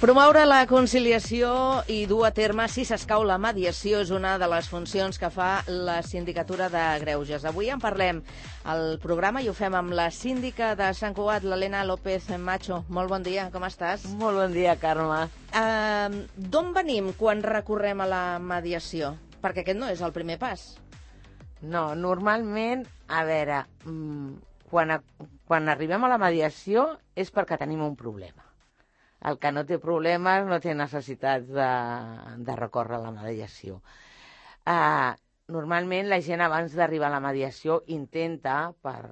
Promoure la conciliació i dur a terme, si s'escau, la mediació és una de les funcions que fa la Sindicatura de Greuges. Avui en parlem al programa i ho fem amb la síndica de Sant Cugat, l'Helena López Macho. Molt bon dia, com estàs? Molt bon dia, Carme. D'on venim quan recorrem a la mediació? Perquè aquest no és el primer pas. No, normalment, a veure, quan arribem a la mediació és perquè tenim un problema. El que no té problemes no té necessitat de recórrer a la mediació. Normalment la gent abans d'arribar a la mediació intenta, per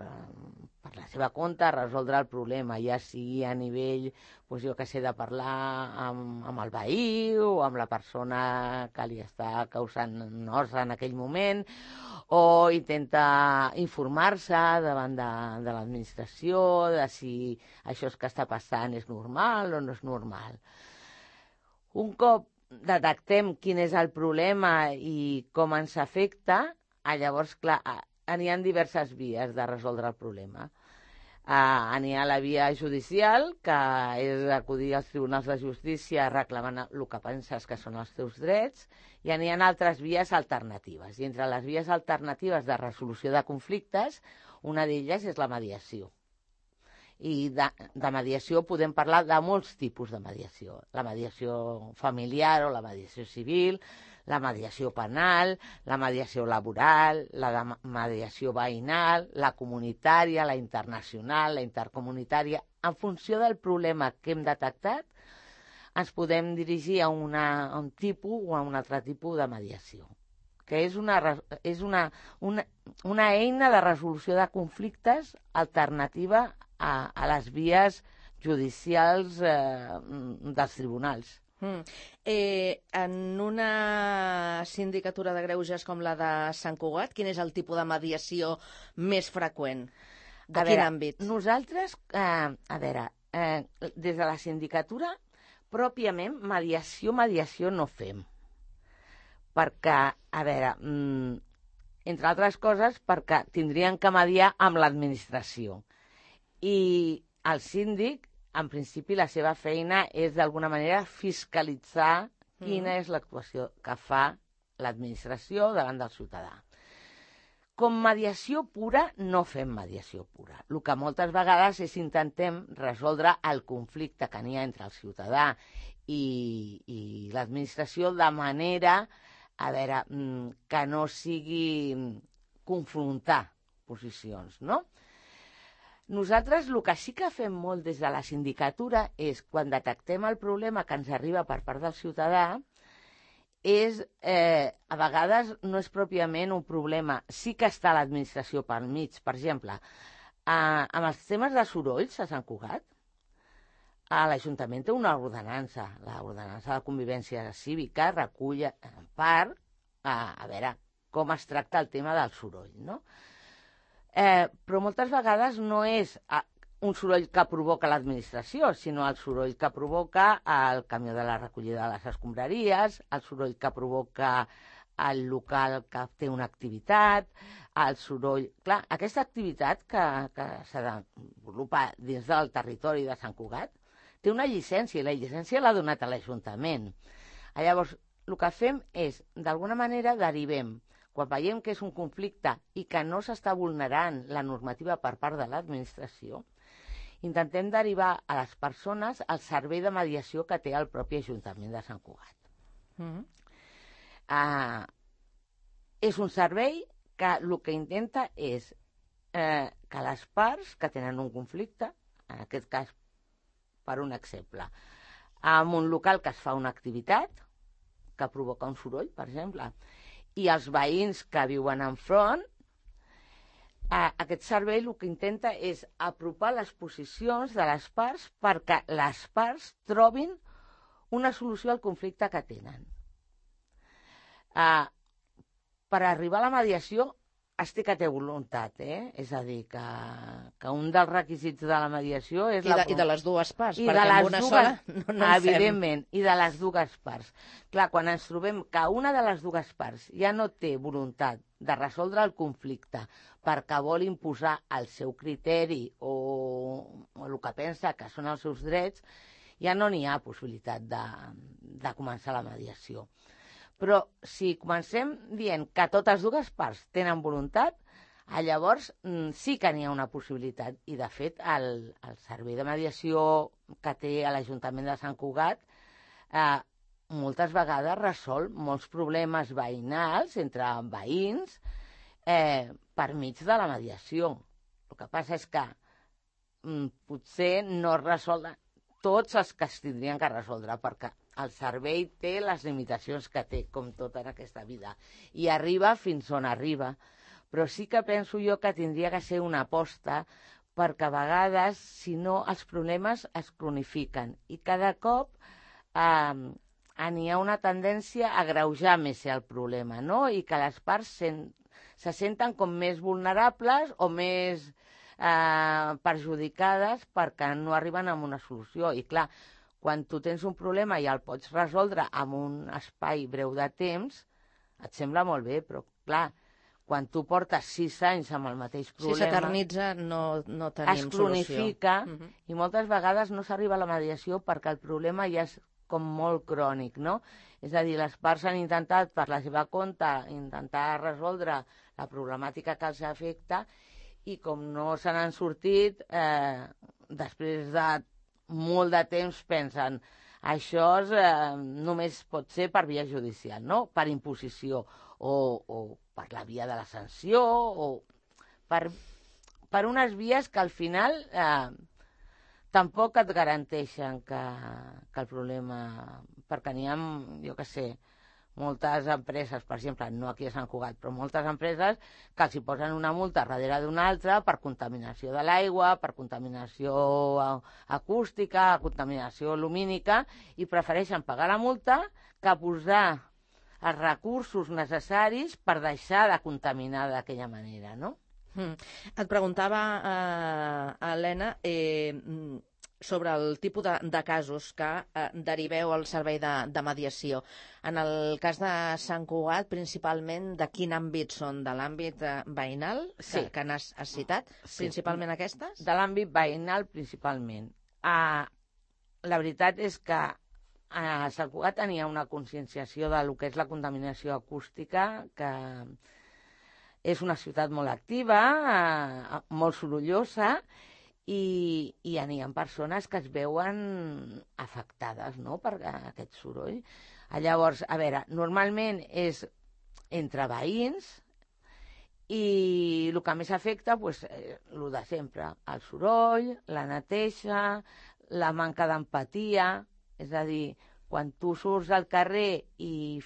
la seva compte, resoldre el problema, ja sigui a nivell, doncs jo que sé, de parlar amb el veí o amb la persona que li està causant nosa en aquell moment, o intenta informar-se davant de l'administració de si això que està passant és normal o no és normal. Un cop detectem quin és el problema i com ens afecta, llavors, clar, n'hi ha diverses vies de resoldre el problema. N'hi ha la via judicial, que és acudir als tribunals de justícia reclamant el que penses que són els teus drets, i n'hi ha altres vies alternatives. I entre les vies alternatives de resolució de conflictes, una d'elles és la mediació. I de mediació podem parlar de molts tipus de mediació. La mediació familiar o la mediació civil, la mediació penal, la mediació laboral, la mediació veïnal, la comunitària, la internacional, la intercomunitària. En funció del problema que hem detectat, ens podem dirigir a un tipus o a un altre tipus de mediació, que és una eina de resolució de conflictes alternativa a les vies judicials dels tribunals. En una sindicatura de greuges com la de Sant Cugat, quin és el tipus de mediació més freqüent? De quin àmbit? Nosaltres, des de la sindicatura, pròpiament, mediació no fem. Perquè, entre altres coses, perquè tindrien que mediar amb l'administració. I el síndic, en principi, la seva feina és, d'alguna manera, fiscalitzar quina és l'actuació que fa l'administració davant del ciutadà. Com mediació pura, no fem mediació pura. El que moltes vegades és intentem resoldre el conflicte que n'hi ha entre el ciutadà i l'administració de manera, que no sigui confrontar posicions, no? Nosaltres el que sí que fem molt des de la sindicatura és, quan detectem el problema que ens arriba per part del ciutadà, a vegades no és pròpiament un problema. Sí que està l'administració pel mig. Per exemple, amb els temes de sorolls a Sant Cugat, l'Ajuntament té una ordenança, l'ordenança de convivència cívica, recull en part com es tracta el tema del soroll, no? Però moltes vegades no és un soroll que provoca l'administració, sinó el soroll que provoca el camió de la recollida de les escombraries, el soroll que provoca el local que té una activitat, el soroll... Clar, aquesta activitat que s'ha de desenvolupar dins del territori de Sant Cugat té una llicència, i la llicència l'ha donat a l'Ajuntament. Llavors, el que fem és, d'alguna manera, derivem. Quan veiem que és un conflicte i que no s'està vulnerant la normativa per part de l'administració, intentem derivar a les persones al servei de mediació que té el propi Ajuntament de Sant Cugat. És un servei que el que intenta és que les parts que tenen un conflicte, en aquest cas, per un exemple, en un local que es fa una activitat que provoca un soroll, per exemple, i els veïns que viuen enfront, aquest servei el que intenta és apropar les posicions de les parts perquè les parts trobin una solució al conflicte que tenen. Per arribar a la mediació es té que té voluntat, és a dir, que un dels requisits de la mediació és... I de les dues parts, perquè amb una sola no en fem. Evidentment, i de les dues parts. Clar, quan ens trobem que una de les dues parts ja no té voluntat de resoldre el conflicte perquè vol imposar el seu criteri o el que pensa que són els seus drets, ja no n'hi ha possibilitat de començar la mediació. Però si comencem dient que totes dues parts tenen voluntat, llavors sí que n'hi ha una possibilitat. I, de fet, el servei de mediació que té a l'Ajuntament de Sant Cugat moltes vegades resol molts problemes veïnals entre veïns per mig de la mediació. El que passa és que potser no es resol tots els que es tindrien que resoldre, perquè el servei té les limitacions que té, com tot en aquesta vida, i arriba fins on arriba. Però sí que penso jo que tindria que ser una aposta, perquè a vegades, si no, els problemes es cronifiquen i cada cop n'hi ha una tendència a agreujar més el problema, no? I que les parts se senten com més vulnerables o més perjudicades perquè no arriben a una solució. I clar, quan tu tens un problema i el pots resoldre en un espai breu de temps, et sembla molt bé, però clar, quan tu portes 6 anys amb el mateix problema... Si s'eternitza, no tenim solució. Es cronifica i moltes vegades no s'arriba a la mediació perquè el problema ja és com molt crònic, no? És a dir, les parts han intentat, per la seva compte, intentar resoldre la problemàtica que els afecta i com no se n'han sortit, després de molt de temps pensen això només pot ser per via judicial, no? Per imposició o per la via de la sanció o per unes vies que al final tampoc et garanteixen que el problema... Perquè n'hi ha, jo què sé, moltes empreses, per exemple, no aquí a Sant Cugat, però moltes empreses que els hi posen una multa darrere d'una altra per contaminació de l'aigua, per contaminació acústica, contaminació lumínica, i prefereixen pagar la multa que posar els recursos necessaris per deixar de contaminar d'aquella manera, no? Et preguntava, Helena, sobre el tipus de casos que deriveu al servei de mediació. En el cas de Sant Cugat, principalment, de quin àmbit són? De l'àmbit veïnal, que n'has citat? Sí. Principalment aquestes? De l'àmbit veïnal, principalment. La veritat és que a Sant Cugat tenia una conscienciació del que és la contaminació acústica, que és una ciutat molt activa, molt sorollosa, i n'hi ha persones que es veuen afectades, no?, per aquest soroll. Llavors, a veure, normalment és entre veïns i el que més afecta, doncs, el de sempre, el soroll, la neteja, la manca d'empatia, és a dir, quan tu surts al carrer i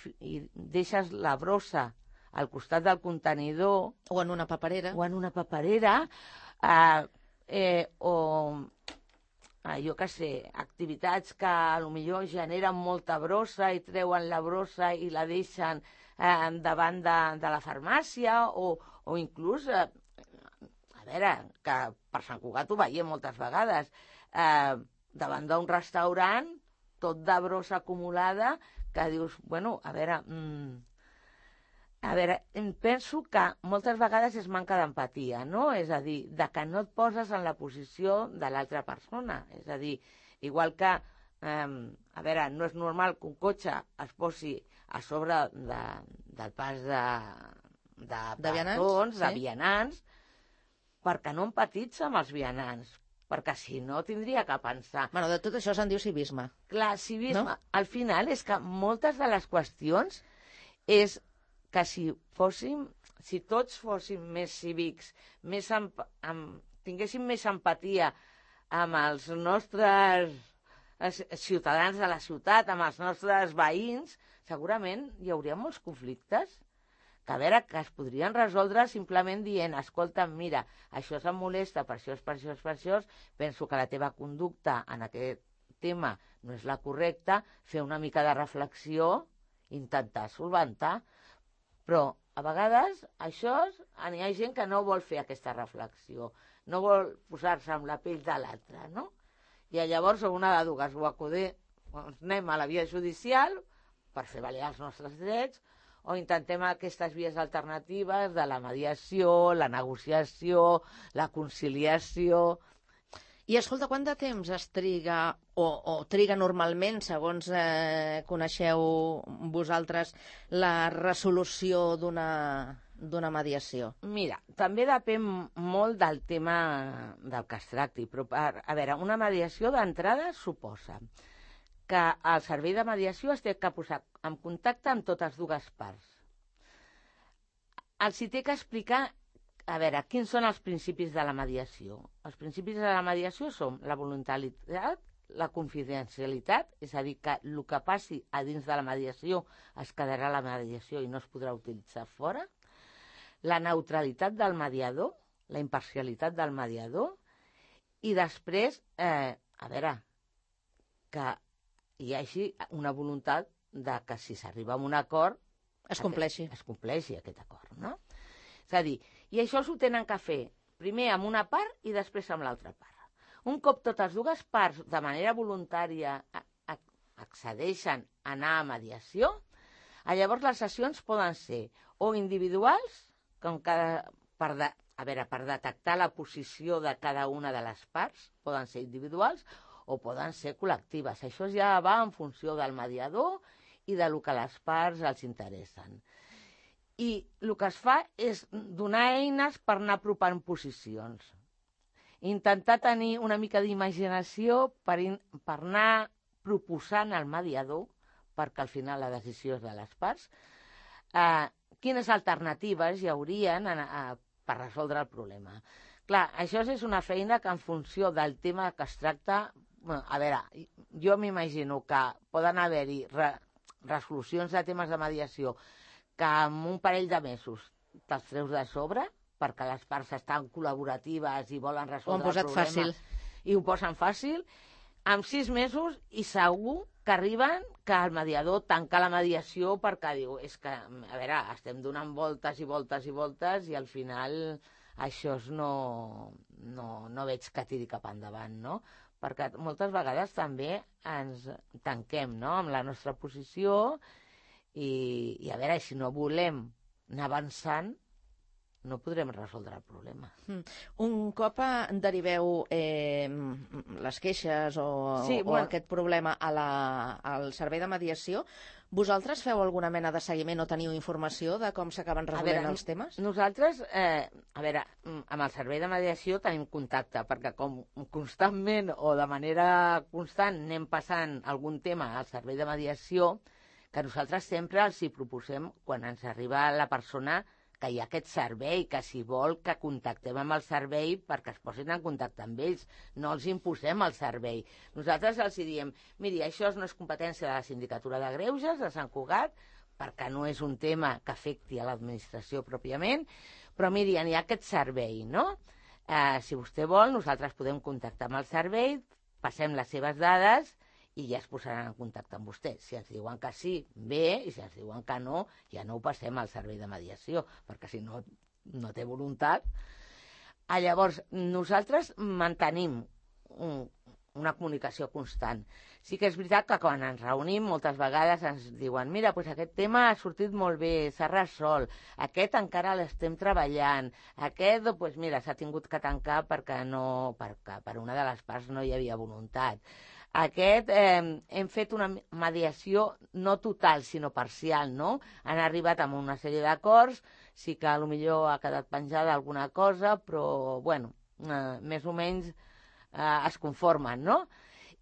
deixes la brossa al costat del contenidor... O en una paperera. O en una paperera, jo què sé, activitats que potser generen molta brossa i treuen la brossa i la deixen davant de la farmàcia o inclús, a veure, que per Sant Cugat ho veiem moltes vegades, davant d'un restaurant, tot de brossa acumulada, que dius, bueno, a veure, penso que moltes vegades és manca d'empatia, no? És a dir, de que no et poses en la posició de l'altra persona. És a dir, igual que, a veure, no és normal que un cotxe es posi a sobre del pas de peatons, de vianants, perquè no empatitza amb els vianants, perquè si no tindria que pensar... Bueno, de tot això se'n diu civisme. Clar, civisme, no? Al final és que moltes de les qüestions és que si tots fóssim més cívics, tinguéssim més empatia amb els nostres ciutadans de la ciutat, amb els nostres veïns, segurament hi hauria molts conflictes que, a veure, que es podrien resoldre simplement dient, escolta, mira, això se'm molesta per això, per això, per això, penso que la teva conducta en aquest tema no és la correcta, fer una mica de reflexió, intentar solventar. Però a vegades n'hi ha gent que no vol fer aquesta reflexió, no vol posar-se en la pell de l'altre, no? I llavors una de dues, o anem a la via judicial per fer valer els nostres drets, o intentem aquestes vies alternatives de la mediació, la negociació, la conciliació... I escolta, quant de temps es triga o triga normalment, segons coneixeu vosaltres, la resolució d'una mediació? Mira, també depèn molt del tema del que es tracti, però a veure, una mediació d'entrada suposa que el servei de mediació es té que posar en contacte amb totes dues parts. Els hi té que explicar, a veure, quins són els principis de la mediació. Els principis de la mediació són la voluntarietat, la confidencialitat, és a dir, que el que passi a dins de la mediació es quedarà a la mediació i no es podrà utilitzar fora, la neutralitat del mediador, la imparcialitat del mediador, i després, a veure, que hi hagi una voluntat de que si s'arriba a un acord Es compleixi. Es compleixi aquest acord, no? És a dir, i això s'ho tenen que fer primer amb una part i després amb l'altra part. Un cop totes dues parts de manera voluntària accedeixen a anar a mediació, llavors les sessions poden ser o individuals, com per detectar la posició de cada una de les parts, poden ser individuals o poden ser col·lectives. Això ja va en funció del mediador i del que les parts els interessen. I el que es fa és donar eines per anar apropant posicions. Intentar tenir una mica d'imaginació per anar proposant al mediador, perquè al final la decisió és de les parts, quines alternatives hi haurien per resoldre el problema. Clar, això és una feina que en funció del tema que es tracta, a veure, jo m'imagino que poden haver-hi resolucions de temes de mediació que en un parell de mesos te'ls treus de sobre, perquè les parts estan col·laboratives i volen resoldre el problema. Fàcil. I ho posen fàcil, en 6 mesos, i segur que arriben que el mediador tanca la mediació perquè diu, és que, a veure, estem donant voltes i voltes i voltes i al final això no veig que tiri cap endavant, no? Perquè moltes vegades també ens tanquem, no?, amb la nostra posició i a veure, si no volem anar avançant, no podrem resoldre el problema. Un cop deriveu les queixes o aquest problema al servei de mediació, vosaltres feu alguna mena de seguiment o teniu informació de com s'acaben resolent els temes? Nosaltres, amb el servei de mediació tenim contacte, perquè com constantment o de manera constant anem passant algun tema al servei de mediació, que nosaltres sempre els hi proposem, quan ens arriba la persona, que hi ha aquest servei, que si vol que contactem amb el servei perquè es posin en contacte amb ells, no els imposem el servei. Nosaltres els diem, miri, això no és competència de la Sindicatura de Greuges de Sant Cugat, perquè no és un tema que afecti a l'administració pròpiament, però miri, hi ha aquest servei, no? Si vostè vol, nosaltres podem contactar amb el servei, passem les seves dades i ja es posaran en contacte amb vostè. Si ens diuen que sí, bé, i si ens diuen que no, ja no ho passem al servei de mediació, perquè si no, no té voluntat. Llavors, nosaltres mantenim una comunicació constant. Sí que és veritat que quan ens reunim moltes vegades ens diuen, mira, doncs aquest tema ha sortit molt bé, s'ha resolt, aquest encara l'estem treballant, aquest, doncs mira, s'ha tingut que tancar perquè per una de les parts no hi havia voluntat. Aquest, hem fet una mediació no total, sinó parcial, no? Han arribat amb una sèrie d'acords, sí que potser ha quedat penjada alguna cosa, però, bueno, més o menys es conformen, no?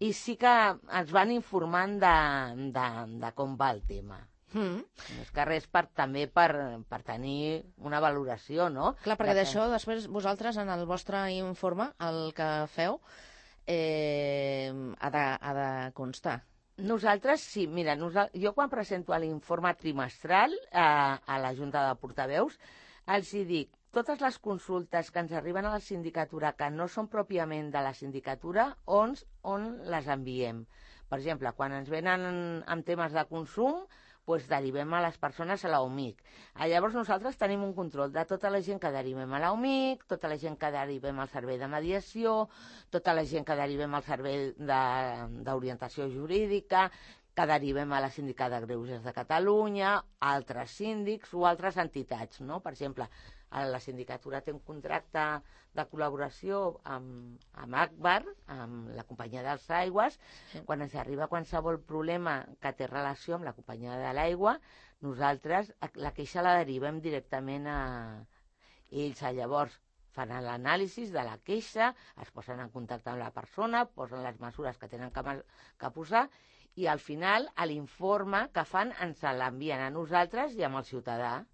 I sí que ens van informant de com va el tema. Més que res també per tenir una valoració, no? Clar, perquè d'això després vosaltres en el vostre informe, el que feu, ha de constar. Nosaltres sí, mira, jo quan presento l'informe trimestral a la Junta de Portaveus els hi dic, totes les consultes que ens arriben a la sindicatura que no són pròpiament de la sindicatura, on les enviem. Per exemple, quan ens venen amb temes de consum, doncs derivem a les persones a l'OMIC. Llavors nosaltres tenim un control de tota la gent que derivem a l'OMIC, tota la gent que derivem al servei de mediació, tota la gent que derivem al servei d'orientació jurídica, que derivem a la Síndica de Greuges de Catalunya, altres síndics o altres entitats, no? Per exemple, la sindicatura té un contracte de col·laboració amb Agbar, amb la companyia dels aigües. Quan ens arriba qualsevol problema que té relació amb la companyia de l'aigua, nosaltres la queixa la derivem directament a ells. Llavors fan l'anàlisi de la queixa, es posen en contacte amb la persona, posen les mesures que tenen que posar, i al final l'informe que fan ens l'envien a nosaltres i amb el ciutadà.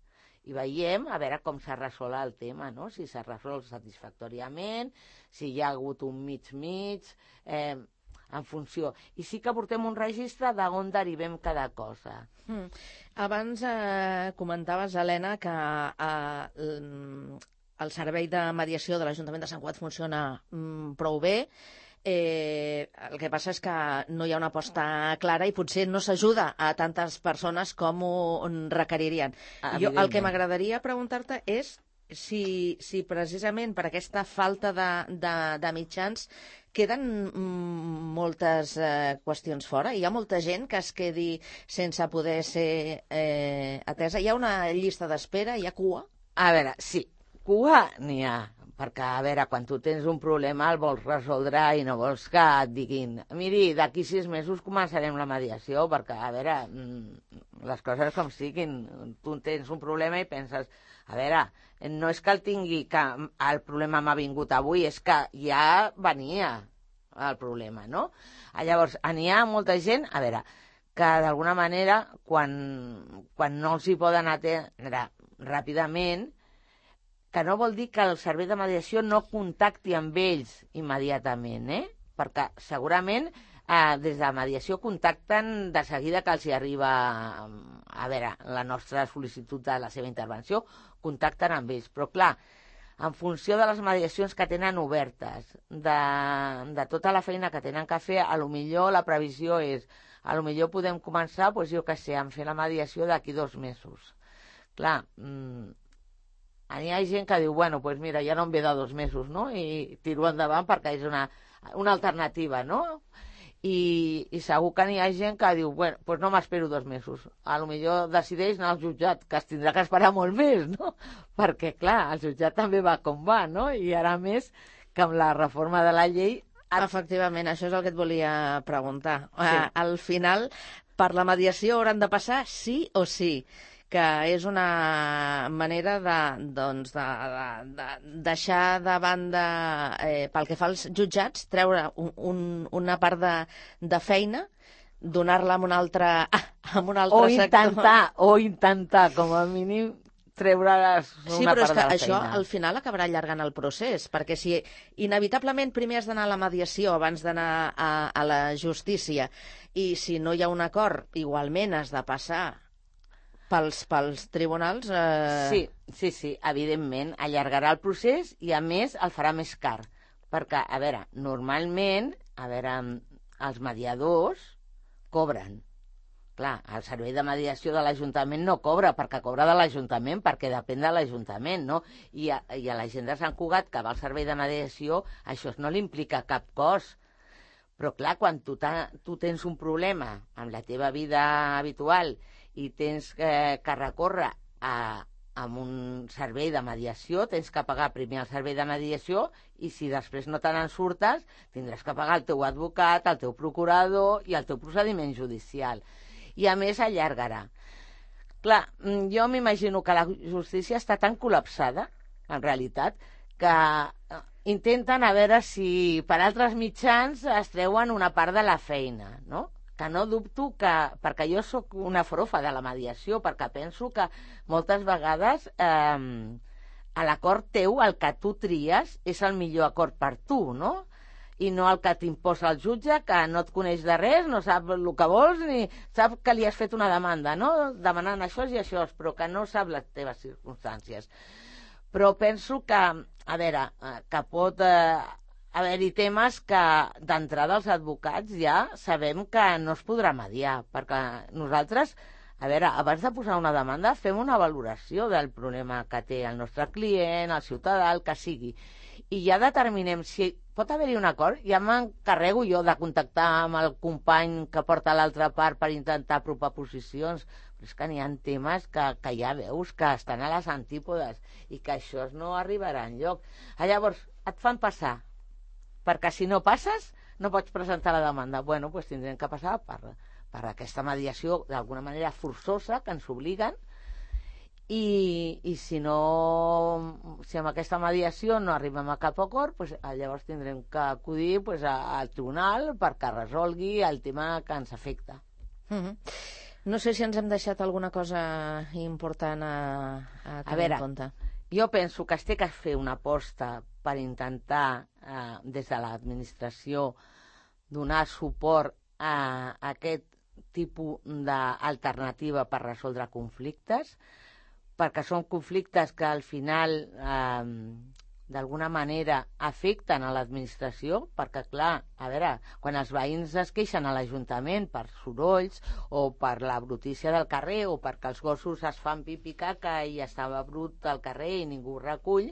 I veiem a veure com s'ha resolt el tema, no? Si s'ha resolt satisfactòriament, si hi ha hagut un mig-mig, en funció. I sí que portem un registre d'on derivem cada cosa. Abans comentaves, Helena, que el servei de mediació de l'Ajuntament de Sant Cugat funciona prou bé. El que passa és que no hi ha una aposta clara i potser no s'ajuda a tantes persones com ho requeririen. Jo, el que m'agradaria preguntar-te és si precisament per aquesta falta de mitjans queden moltes qüestions fora. Hi ha molta gent que es quedi sense poder ser atesa. Hi ha una llista d'espera, hi ha cua? A veure, sí, cua n'hi ha. Perquè, a veure, quan tu tens un problema el vols resoldre i no vols que et diguin miri, d'aquí 6 mesos començarem la mediació, perquè, a veure, les coses com siguin. Tu tens un problema i penses, a veure, no és que el tingui, que el problema m'ha vingut avui, és que ja venia el problema, no? Llavors, n'hi ha molta gent, a veure, que d'alguna manera, quan no els hi poden atendre ràpidament, que no vol dir que el servei de mediació no contacti amb ells immediatament, perquè segurament des de mediació contacten de seguida que els hi arriba a veure la nostra sol·licitud de la seva intervenció, contacten amb ells, però clar, en funció de les mediacions que tenen obertes, de tota la feina que tenen que fer, a lo millor la previsió és, a lo millor podem començar, doncs jo què sé, a fer la mediació d'aquí 2 mesos. Clar, hi ha gent que diu, bueno, doncs mira, ja no em ve de 2 mesos, no? I tiro endavant perquè és una alternativa, no? I segur que hi ha gent que diu, bueno, doncs no m'espero 2 mesos. A lo millor decideix anar al jutjat, que es tindrà que esperar molt més, no? Perquè, clar, el jutjat també va com va, no? I ara més que amb la reforma de la llei... Efectivament, això és el que et volia preguntar. Sí. Al final, per la mediació hauran de passar sí o sí, que és una manera de deixar de banda, pel que fa als jutjats, treure una part de feina, donar-la a un altre sector. O intentar, com a mínim, treure-les una part de la feina. Sí, però és que això al final acabarà allargant el procés, perquè si inevitablement primer has d'anar a la mediació abans d'anar a la justícia, i si no hi ha un acord, igualment has de passar pels tribunals... Sí, evidentment, allargarà el procés i, a més, el farà més car. Perquè, a veure, normalment, els mediadors cobren. Clar, el servei de mediació de l'Ajuntament no cobra, perquè cobra de l'Ajuntament, perquè depèn de l'Ajuntament, no? I a la gent de Sant Cugat, que va al servei de mediació, això no li implica cap cost. Però, clar, quan tu tens un problema amb la teva vida habitual i tens que recórrer a un servei de mediació, tens que pagar primer el servei de mediació i si després no te n'en surtes, tindràs que pagar el teu advocat, el teu procurador i el teu procediment judicial. I a més allargarà. Clar, jo m'imagino que la justícia està tan col·lapsada, en realitat, que intenten a veure si per altres mitjans es treuen una part de la feina, no? Que no dubto que... Perquè jo sóc una frofa de la mediació, perquè penso que moltes vegades a l'acord teu, el que tu tries, és el millor acord per tu, no? I no el que t'imposa el jutge, que no et coneix de res, no sap el que vols, ni sap que li has fet una demanda, no? Demanant això i això, però que no sap les teves circumstàncies. Però penso que, a veure, que pot... haver-hi temes que d'entrada els advocats ja sabem que no es podrà mediar, perquè nosaltres, a veure, abans de posar una demanda fem una valoració del problema que té el nostre client, el ciutadà, el que sigui, i ja determinem si pot haver-hi un acord. Ja m'encarrego jo de contactar amb el company que porta l'altra part per intentar apropar posicions, Però és que n'hi ha temes que ja veus que estan a les antípodes i que això no arribarà enlloc. Llavors, et fan passar, perquè si no passes no pots presentar la demanda. Bueno, doncs tindrem que passar per aquesta mediació d'alguna manera forçosa que ens obliguen, i si amb aquesta mediació no arribem a cap acord, doncs llavors tindrem que acudir al tribunal perquè resolgui el tema que ens afecta. No sé si ens hem deixat alguna cosa important a tenir en compte. Jo penso que es té que fer una aposta per intentar, des de l'administració, donar suport a aquest tipus d'alternativa per resoldre conflictes, perquè són conflictes que al final d'alguna manera afecten a l'administració, perquè clar, quan els veïns es queixen a l'Ajuntament per sorolls o per la brutícia del carrer o perquè els gossos es fan pipí caca i estava brut al carrer i ningú ho recull,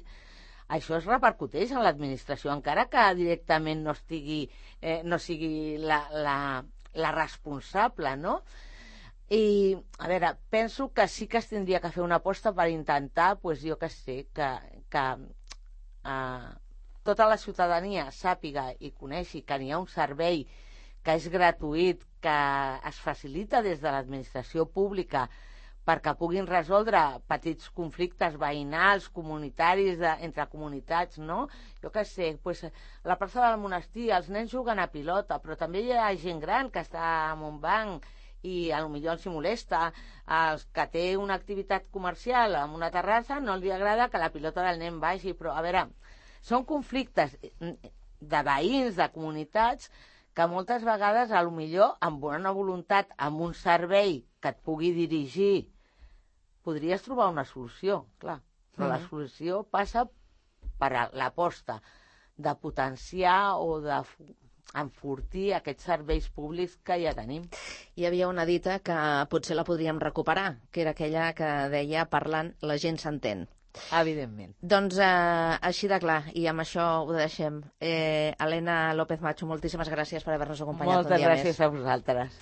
això es repercuteix en l'administració, encara que directament no sigui la responsable, no? I, penso que sí que es tindria que fer una aposta per intentar, jo que sé, que tota la ciutadania sàpiga i coneixi que n'hi ha un servei que és gratuït, que es facilita des de l'administració pública perquè puguin resoldre petits conflictes veïnals, comunitaris, entre comunitats, no? Jo què sé, la plaça del monestir, els nens juguen a pilota, però també hi ha gent gran que està en un banc i potser els hi molesta, els que té una activitat comercial en una terrassa no li agrada que la pilota del nen vagi, però són conflictes de veïns, de comunitats, que moltes vegades potser amb bona voluntat, amb un servei que et pugui dirigir, podries trobar una solució, clar, però la solució passa per l'aposta de potenciar o d'enfortir aquests serveis públics que ja tenim. Hi havia una dita que potser la podríem recuperar, que era aquella que deia parlant la gent s'entén. Evidentment. Doncs així de clar, i amb això ho deixem. Elena López Macho, moltíssimes gràcies per haver-nos acompanyat un dia més. Moltes gràcies a vosaltres.